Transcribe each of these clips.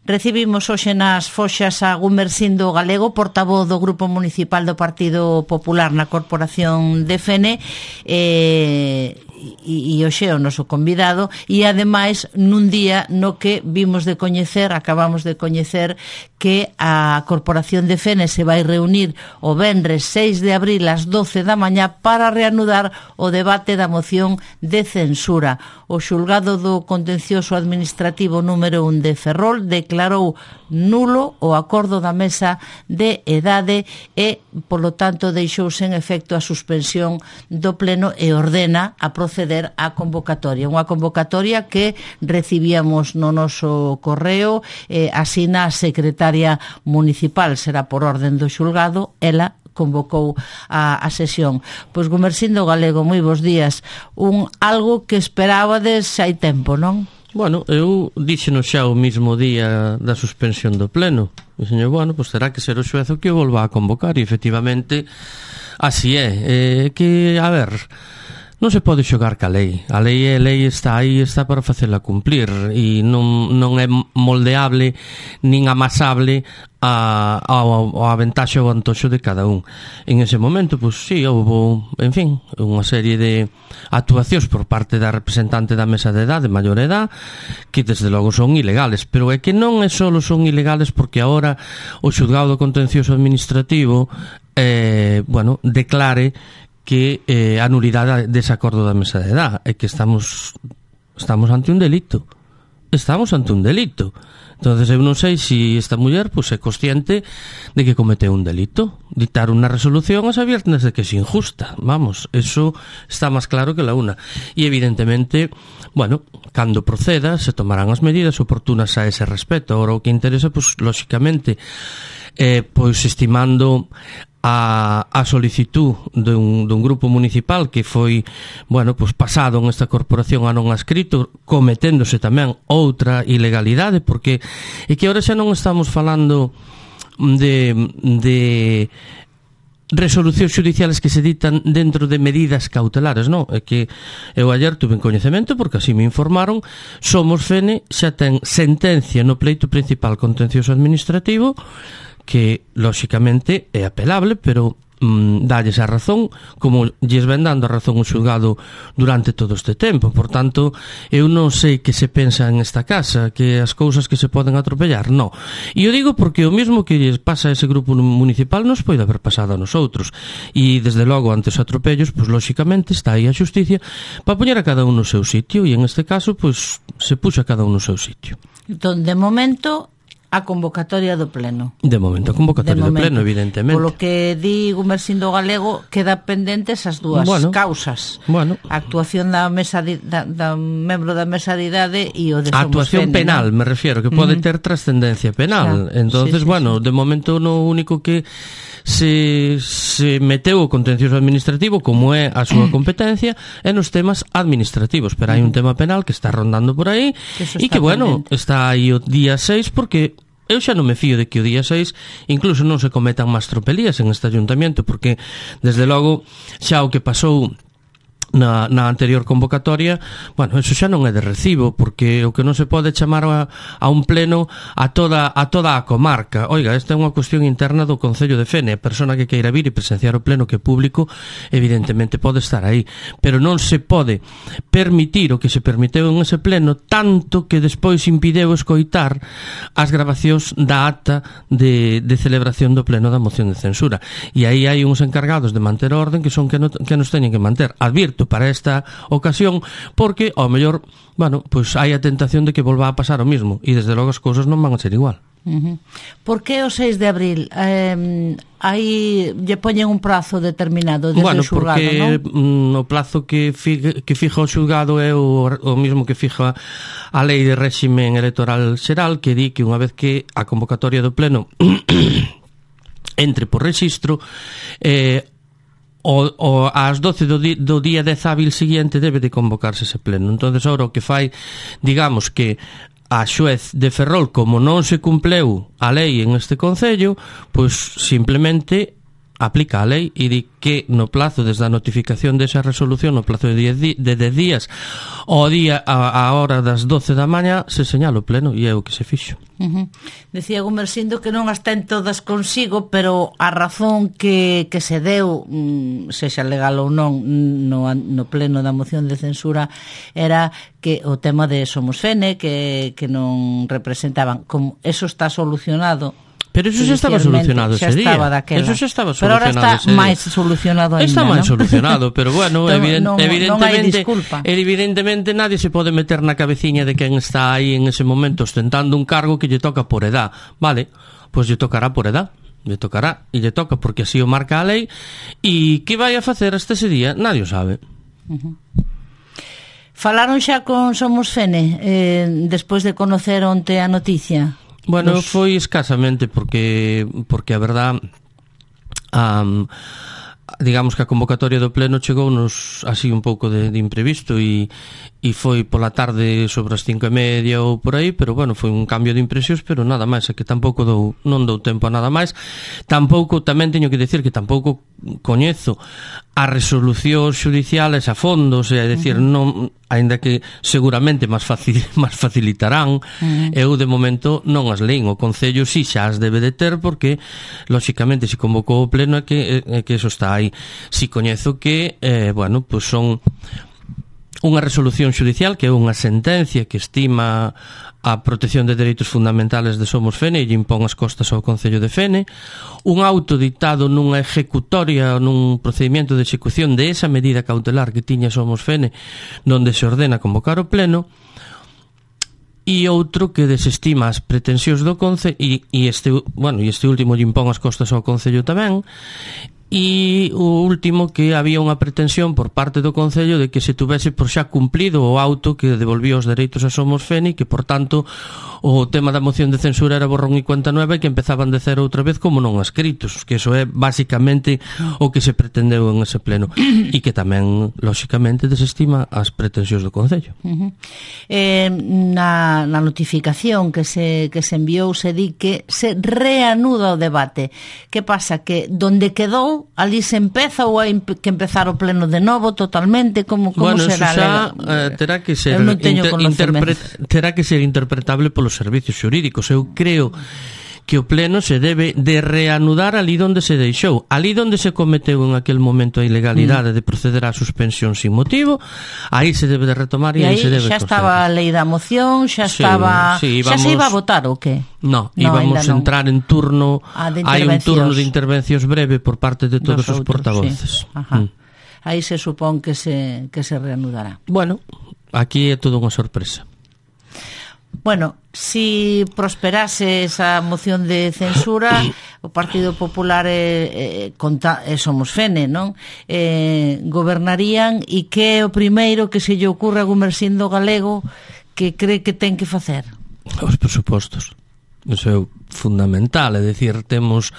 Recibimos hoxe nas Foxas a Gumersindo Galego, portavoz do Grupo Municipal do Partido Popular na Corporación de Fene, e hoxe é o noso convidado, e ademais nun día no que acabamos de coñecer que a Corporación de Fene se vai reunir o venres 6 de abril ás 12 da mañá para reanudar o debate da moción de censura. O xulgado do Contencioso Administrativo número 1 de Ferrol declarou nulo o acordo da mesa de edade e, polo tanto, deixouse en efecto a suspensión do pleno e ordena a proceder á convocatoria. Unha convocatoria que recibíamos no noso correo, asina a secretaria municipal, será por orden do xulgado, ela convocou a sesión. Pois, Gumersindo Galego, moi bons días. Algo que esperábades hai tempo, non? Bueno, eu díxenos xa o mismo día da suspensión do pleno. E señor, bueno, pois terá que ser o xuez o que o volva a convocar, e efectivamente así é. Que, a ver, non se pode xogar ca lei. A lei está aí, está para facela cumplir, e non é moldeable nin amasable ao aventaxe ou antoxo de cada un. En ese momento, pois sí, houve, en fin, unha serie de actuacións por parte da representante da mesa de edade, maior edad, que desde logo son ilegales, pero é que non é só son ilegales porque agora o xulgado contencioso administrativo declare que a nulidade dese acordo da mesa de edad é que estamos ante un delito. Entonces eu non sei se esta muller é consciente de que cometeu un delito. Dictar unha resolución a sabiendas de que é injusta. Vamos, eso está máis claro que la una. E evidentemente, bueno, cando proceda se tomarán as medidas oportunas a ese respecto. Ahora o que interesa, lóxicamente, estimando a solicitud dun grupo municipal que foi, pasado en esta corporación a non adscrito, cometéndose tamén outra ilegalidade, porque é que agora xa non estamos falando de resolucións xudiciales que se ditan dentro de medidas cautelares, non? É que eu ayer tuve coñecemento, porque así me informaron, Somos Fene xa ten sentencia no pleito principal contencioso administrativo que, lóxicamente, é apelable, pero dalles a razón, como lles ven dando a razón o xulgado durante todo este tempo. Por tanto, eu non sei que se pensa en esta casa, que as cousas que se poden atropellar, non. E eu digo porque o mesmo que lles pasa a ese grupo municipal nos pode haber pasado a nosotros. E, desde logo, ante os atropellos, lóxicamente, está aí a xusticia para poñer a cada un no seu sitio, e en este caso, se puxa a cada un no seu sitio. Entón, de momento, a convocatoria do pleno. De momento, a convocatoria do pleno, evidentemente. Polo que di Gumersindo Galego, queda pendentes as dúas causas. A actuación da mesa da membro da mesa de idade e o de Somos Fene. A actuación penal, me refiero, que pode ter trascendencia penal. Entonces, de momento, no único que se meteu o contencioso administrativo, como é a súa competencia, é nos temas administrativos, pero hai un tema penal que está rondando por aí e que, está aí o día 6, porque eu xa non me fío de que o día 6 incluso non se cometan máis tropelías en este ayuntamiento, porque, desde logo, xa o que pasou na anterior convocatoria, eso xa non é de recibo, porque o que non se pode chamar a un pleno a toda a comarca. Oiga, esta é unha cuestión interna do Concello de Fene. A persona que queira vir e presenciar o pleno, que é público, evidentemente pode estar aí, pero non se pode permitir o que se permiteu en ese pleno, tanto que despois impideu escoitar as grabacións da acta de celebración do pleno da moción de censura. E aí hai uns encargados de manter orden que son que nos teñen que manter. Advirto para esta ocasión, porque ao mellor, hai a tentación de que volva a pasar o mismo, e desde logo as cousas non van a ser igual. Por que o 6 de abril? Aí lle poñen un prazo determinado desde o xulgado, porque o plazo que fija o xulgado é o mismo que fija a lei de réximen electoral xeral, que di que unha vez que a convocatoria do pleno entre por rexistro, ás 12 do día 10 hábil siguiente debe de convocarse ese pleno. Entonces, ahora o que fai, digamos que a xuez de Ferrol, como non se cumpleu a lei en este concello, simplemente aplica a lei e di que no plazo desde a notificación desa resolución, no plazo de 10 días ao día a hora das 12 da mañá se señala o pleno e é o que se fixo. Decía Gumersindo que non as ten todas consigo, pero a razón que se deu, sexa legal ou non, no pleno da moción de censura era que o tema de Somos Fene, que non representaban, como eso está solucionado. Pero eso xa estaba solucionado ese día. Eso xa estaba solucionado. Pero ahora está máis solucionado ainda, está máis solucionado, pero bueno, evidentemente nadie se pode meter na cabeciña de quen está aí en ese momento ostentando un cargo que lle toca por edad. Vale, pois lle tocará por edad. Lle tocará e lle toca porque así o marca a lei. E que vai a facer hasta ese día? Nadie o sabe. Falaron xa con Somos Fene despois de conocer onte a noticia? Bueno, foi escasamente porque a verdad digamos que a convocatoria do pleno chegounos así un pouco de imprevisto e foi pola tarde sobre as 5:30 ou por aí, pero bueno, foi un cambio de impresións, pero nada máis, é que tampouco non dou tempo a nada máis. Tampouco, tamén teño que decir que tampouco coñezo as resolucións xudiciales a fondo, é dicir, non, aínda que seguramente máis facilitarán, eu de momento non as leín. O Concello si xa as debe de ter porque lóxicamente se convocou o pleno é que eso está aí. Si coñezo que bueno, pois son unha resolución xudicial que é unha sentencia que estima a protección de dereitos fundamentales de Somos Fene e lle impón as costas ao Concello de Fene, un auto dictado nunha ejecutoria ou nun procedimento de execución de esa medida cautelar que tiña Somos Fene donde se ordena convocar o pleno, e outro que desestima as pretensións do Concello e este último lle impón as costas ao Concello tamén. E o último, que había unha pretensión por parte do Concello de que se tuvese por xa cumplido o auto que devolvía os dereitos a Somos Fene e que, por tanto, o tema da moción de censura era borrón e cuenta nueva e que empezaban de cero outra vez como non escritos, que eso é basicamente o que se pretendeu en ese pleno e que tamén, lóxicamente, desestima as pretensións do Concello. Na notificación que se enviou se di que se reanuda o debate. Que pasa? Que donde quedou ali se empeza ou hai que empezar o pleno de novo totalmente? Como será? Terá que ser terá que ser interpretable polos servicios xurídicos. Eu creo que o pleno se debe de reanudar ali donde se deixou, ali donde se cometeu en aquel momento a ilegalidade de proceder á suspensión sin motivo, aí se debe de retomar e aí se debe xa estaba a lei da moción, xa estaba, xa se iba a votar ou que? No, íbamos a entrar en turno, hai un turno de intervencións breve por parte de todos os portavoces. Aí se supón que se reanudará. Bueno, aquí é todo unha sorpresa. Bueno, si prosperase esa moción de censura, o Partido Popular Somos Fene, non? Gobernarían, e que é o primeiro que se lle ocurre a Gumersindo Galego que cree que ten que facer? Os presupostos. Eso é fundamental, é dicir, temos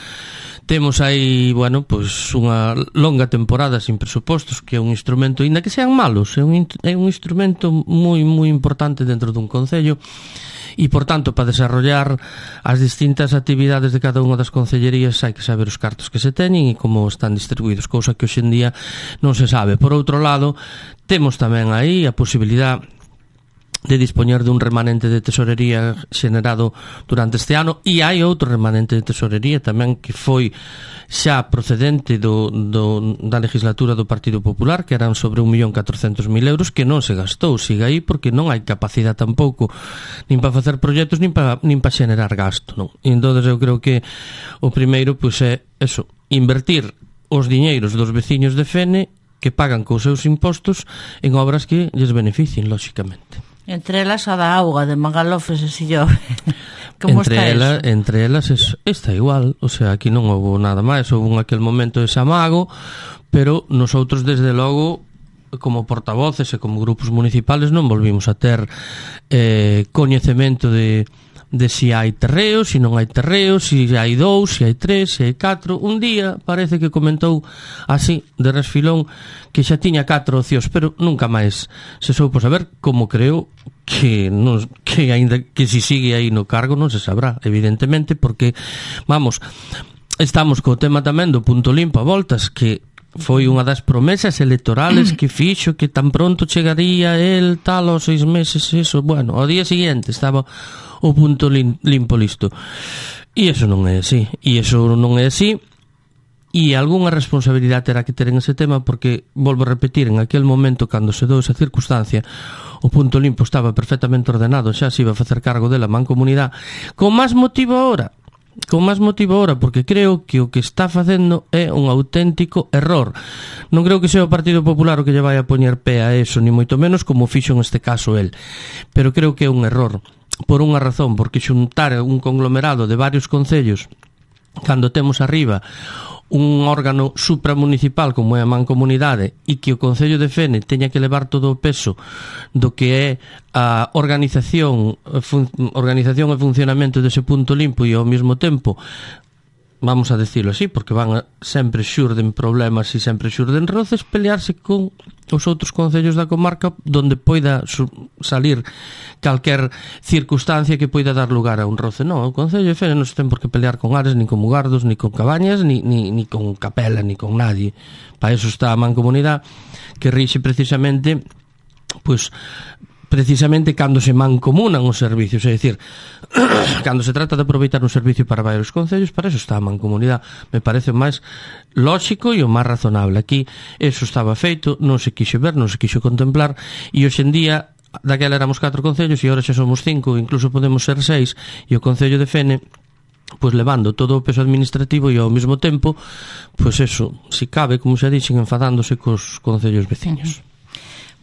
aí, bueno, pois unha longa temporada sin presupostos, que é un instrumento, ainda que sean malos, é un instrumento moi moi importante dentro dun concello e, por tanto, para desarrollar as distintas actividades de cada unha das concellerías hai que saber os cartos que se teñen e como están distribuídos, cousa que hoxe en día non se sabe. Por outro lado, temos tamén aí a posibilidade de dispoñer dun remanente de tesorería xenerado durante este ano, e hai outro remanente de tesorería tamén que foi xa procedente da legislatura do Partido Popular, que eran sobre 1.400.000 euros, que non se gastou, siga aí porque non hai capacidade tampouco nin para facer proxectos nin para xenerar gasto, non? E entón eu creo que o primeiro pois é eso, invertir os diñeiros dos veciños de Fene que pagan cos seus impostos en obras que lles beneficien, lóxicamente. Entre elas a da auga de Magalofes e Sillove. Como está eso? Entre elas está igual, o sea, aquí non houve nada máis, houve en aquel momento ese amago, pero nosotros desde logo como portavoces e como grupos municipales non volvimos a ter coñecemento de si hai terreos, si non hai terreos, si hai 2, si hai 3, si hai 4. Un día parece que comentou así, de resfilón, que xa tiña 4 ocios, pero nunca máis se soupo saber, como creo que aínda que si sigue aí no cargo non se sabrá, evidentemente, porque, vamos, estamos co tema tamén do punto limpo a voltas, que foi unha das promesas electorales que fixo que tan pronto chegaría el tal aos 6 meses, eso, bueno, ao día seguinte estaba o punto limpo listo. E eso non é así, e algunha responsabilidade terá que ter en ese tema, porque, volvo a repetir, en aquel momento, cando se dou esa circunstancia, o punto limpo estaba perfectamente ordenado, xa se iba a facer cargo dela a Mancomunidade, con máis motivo ahora, porque creo que o que está facendo é un auténtico error. Non creo que sea o Partido Popular o que lle vai a poñer pé a eso, ni moito menos como fixo en este caso el, pero creo que é un error por unha razón, porque xuntar un conglomerado de varios concellos cando temos arriba un órgano supramunicipal como é a Mancomunidade e que o Concello de Fene teña que levar todo o peso do que é a organización e funcionamento dese punto limpo, e ao mesmo tempo, vamos a decirlo así, porque sempre xurden problemas e sempre xurden roces, pelearse con os outros concellos da comarca donde poida salir calquer circunstancia que poida dar lugar a un roce. Non, o Concello de Fene non se ten por que pelear con Ares, ni con Mugardos, ni con Cabañas, ni con Capela, ni con nadie. Para eso está a Mancomunidade, que rixe precisamente cando se mancomunan os servicios, é dicir, cando se trata de aproveitar un servicio para varios concellos, para eso está a Mancomunidade. Me parece o máis lóxico e o máis razonable. Aquí eso estaba feito, non se quixo ver, non se quixo contemplar, e hoxe en día, daquela éramos 4 concellos e agora xa somos 5, incluso podemos ser 6, e o Concello de Fene levando todo o peso administrativo e ao mesmo tempo, eso, si cabe, como xa dixen, enfadándose cos concellos veciños.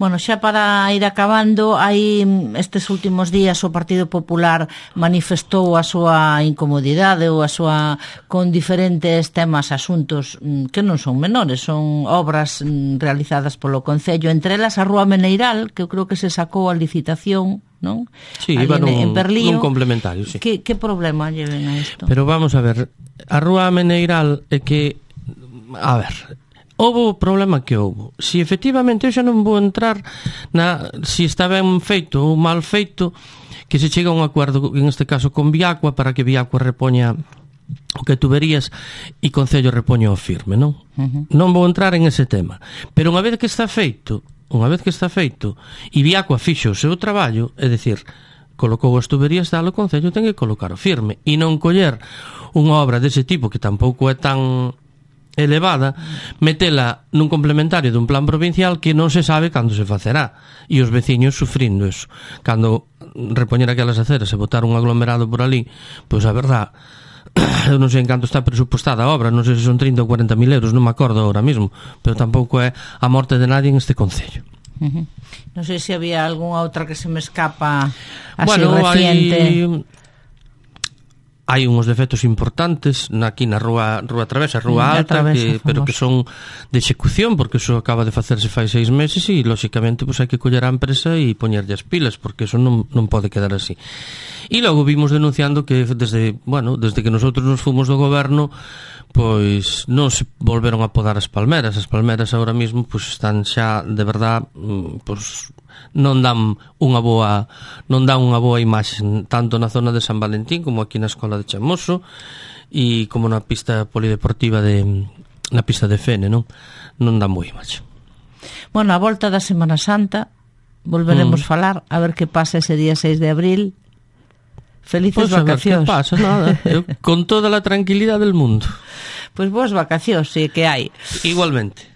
Bueno, xa para ir acabando, hai estes últimos días o Partido Popular manifestou a súa incomodidade ou a súa con diferentes temas, asuntos que non son menores, son obras realizadas polo Concello, entre elas a Rúa Meneiral, que eu creo que se sacou a licitación, non? Sí, iba nun complementario, sí. Que problema lleven a isto? Pero vamos a ver, a Rúa Meneiral é que, a ver, houve o problema que houve. Si efectivamente eu xa non vou entrar si está ben feito ou mal feito, que se chega a un acordo, en este caso con Viacua, para que Viacua repoña o que tuberías e Concello repoña o firme, non? Non vou entrar en ese tema. Pero unha vez que está feito, e Viacua fixo o seu traballo, é dicir, colocou as tuberías, o Concello ten que colocar o firme e non coller unha obra dese tipo que tampouco é tan elevada, metela nun complementario dun plan provincial que non se sabe cando se facerá, e os veciños sufrindo eso. Cando repoñer aquelas aceras e botar un aglomerado por ali, a verdad, eu non sei en canto está presupostada a obra, non sei se son 30 ou 40 mil euros, non me acordo ahora mismo, pero tampouco é a morte de nadie en este concello. Non sei se había algunha outra que se me escapa así reciente. Hai unhos defectos importantes aquí na Rúa Travesa, Rúa Alta, pero que son de execución, porque eso acaba de facerse fai 6 meses e, lóxicamente, hai que coller a empresa e poñerlle as pilas, porque eso non pode quedar así. E logo vimos denunciando que desde que nosotros nos fomos do goberno, non se volveron a podar as palmeras. As palmeras agora mesmo están xa, de verdad, non dan unha boa imaxe, tanto na zona de San Valentín como aquí na Escola de Chamoso e como na pista polideportiva na pista de Fene, non dan boa imaxe. Bueno, a volta da Semana Santa volveremos falar, a ver que pasa ese día 6 de abril. Felices vacacións. A ver que pasa, nada, con toda a tranquilidade del mundo. Boas vacacións, si que hai. Igualmente.